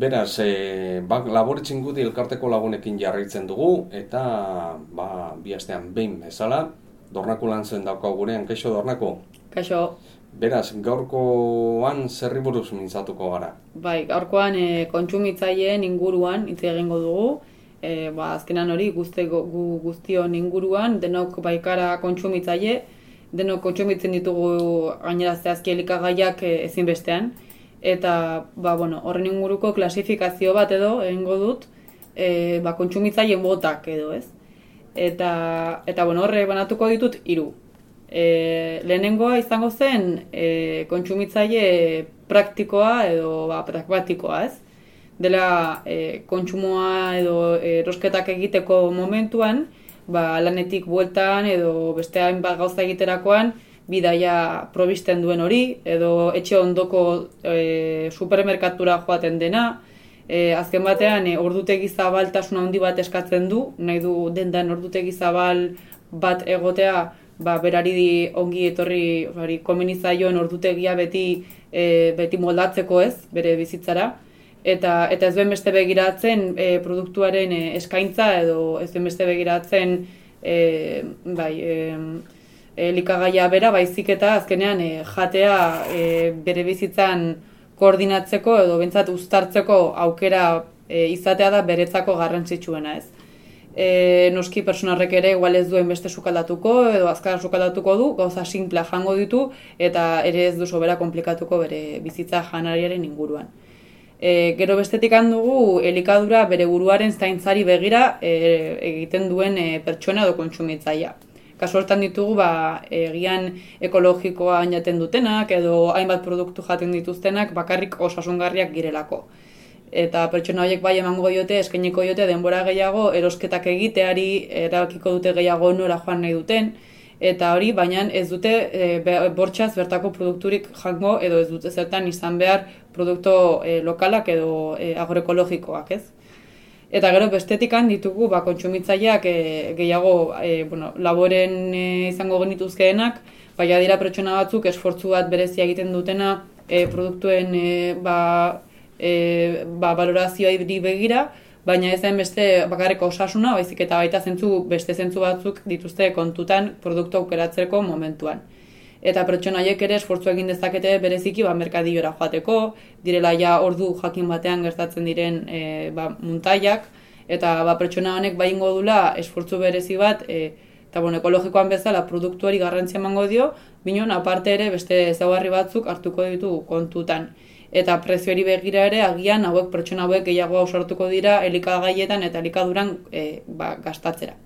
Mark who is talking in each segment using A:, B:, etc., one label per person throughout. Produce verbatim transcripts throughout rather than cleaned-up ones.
A: Beraz, e, ba, Labore Txingudi elkarteko lagunekin jarraitzen dugu, eta ba, bi astean behin bezala, Dornako lan zen daukau gurean, kaixo Dornako?
B: Kaixo.
A: Beraz, gaurkoan zerri buruz mintzatuko gara?
B: Bai, gaurkoan e, kontsumitzaileen inguruan hitz egingo dugu. E, ba, azkenan hori guzti, gu, guztion inguruan, denok baikara kontsumitzaile, denok kontsumitzen ditugu gainera zehazki elikagaiak e, ezinbestean. Eta ba, bueno, horren inguruko klasifikazio bat edo egingo dut, e, ba, kontsumitzaile botak edo, ez? Eta, eta bueno, horre banatuko ditut hiru. E, lehenengoa izango zen e, kontsumitzaile praktikoa edo ba, pragmatikoa, ez? Dela e, kontsumoa edo erosketak egiteko momentuan, ba, lanetik bueltan edo beste hainbat gauza egiterakoan, bidaia probisten duen hori, edo etxe ondoko e, supermerkatura joaten dena, e, azken batean e, ordutegi zabaltasun handi bat eskatzen du, nahi du dendan ordutegi zabal bat egotea, ba, berari ongi etorri, hori, komenizaion ordutegia beti, e, beti moldatzeko ez, bere bizitzara, eta, eta ez duen beste begiratzen e, produktuaren e, eskaintza, edo ez duen beste begiratzen, e, bai, e, elikagaia bera, baizik eta azkenean e, jatea e, bere bizitzan koordinatzeko edo bentsat uztartzeko aukera e, izatea da beretzako garrantzitsuena, ez. E, noski pertsonarrek ere igual ez duen beste sukaldatuko edo azkar sukaldatuko du, gauza simplea jango ditu eta ere ez du sobera komplikatuko bere bizitza janariaren inguruan. E, gero bestetik handugu elikadura bere buruaren zaintzari begira e, egiten duen e, pertsona edo kontsumitzailea. Kasu hortan ditugu ba, egian ekologikoa jaten dutenak edo hainbat produktu jaten dituztenak bakarrik osasungarriak girelako. Eta pertsona horiek bai emango diote, eskainiko diote denbora gehiago, erosketak egiteari, erabakiko dute gehiago nora joan nahi duten, eta hori, baina ez dute e, bortxaz bertako produkturik jango edo ez dute zertan izan behar produktu e, lokalak edo e, agroekologikoak, ez? Eta gero bestetikan ditugu ba, kontsumitzaileak e, gehiago e, bueno, laboren e, izango genituzkeenak, baina dira pertsona batzuk esfortzu bat berezia egiten dutena e, produktuen e, ba, e, ba, valorazioa begira, baina ez den beste bakarreko osasuna, baizik eta baita zentzu, beste zentzu batzuk dituzte kontutan produktu aukeratzeko momentuan. Eta pertsonaiek ere esfortzu egin dezakete bereziki ba, merkadillora joateko, direla ja ordu jakin batean gertatzen diren e, ba, muntaiak, eta ba, pertsona honek baingo dula esfortzu berezi bat, e, eta bon, ekologikoan bezala produktuari garrantzia emango dio, binon aparte ere beste ezaugarri batzuk hartuko ditu kontutan. Eta prezioari begira ere agian hauek pertsona hauek gehiago ausartuko dira elikagaietan eta elikaduran e, ba, gastatzera.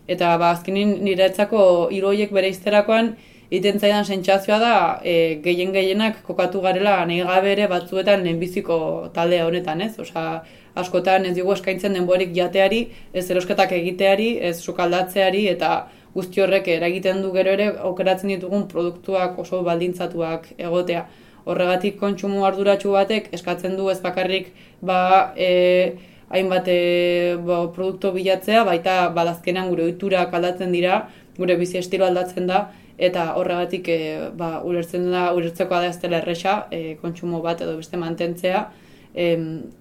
B: Eta ba, azkenin niretzako hiru horiek bere izterakoan, egiten zaidan sentsazioa da e, gehien gehienak kokatu garela nahi gabe ere batzuetan lehenbiziko talde honetan, ez? Osea, askotan ez digu eskaintzen denborik jateari, ez erosketak egiteari, ez sukaldatzeari eta guzti horrek eragiten du gero ere aukeratzen ditugun produktuak oso baldintzatuak egotea. Horregatik kontsumo arduratsu batek eskatzen du ez bakarrik ba, e, hainbat e, ba, produktu bilatzea, baita badazkenan gure ohiturak aldatzen dira, gure bizi estilo aldatzen da, eta horregatik e, ba, ulertzen da, ulertzeko da ez dela erresa e, kontsumo bat edo beste mantentzea. E,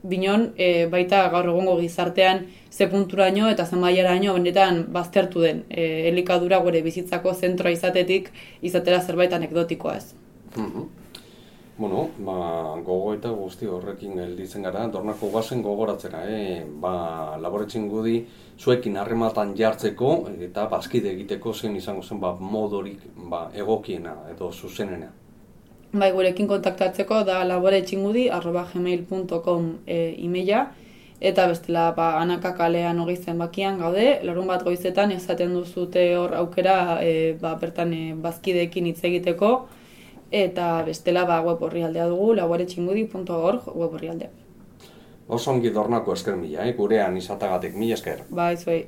B: binon, e, baita gaur egungo gizartean ze punturaino eta ze mailaraino benetan baztertu den e, elikadura gure bizitzako zentroa izatetik izatera zerbait anekdotikoa ez.
A: Mm-hmm. Bueno, ba, gogo eta guzti horrekin gelditzen gara, Dornako goazen gogoratzera, eh? Ba, Labore Txingudi zuekin harrematan jartzeko eta bazkide egiteko zen izango zen ba, modorik ba, egokiena edo zuzenena.
B: Bai, gurekin kontaktatzeko da laboretxingudi arroba gmail punto com e, emaila, eta bestela ba, Anaka kalean hogei zenbakian gaude, larun bat goizetan ezaten duzute hor aukera e, ba, bertan e, bazkideekin hitz egiteko, eta bestela ba, web orrialdea dugu, laboretxingudi punto org web orrialdea.
A: Oso ongi Dornako esker mila, eh? Gurean izatagatik mila esker.
B: Bai, zuei.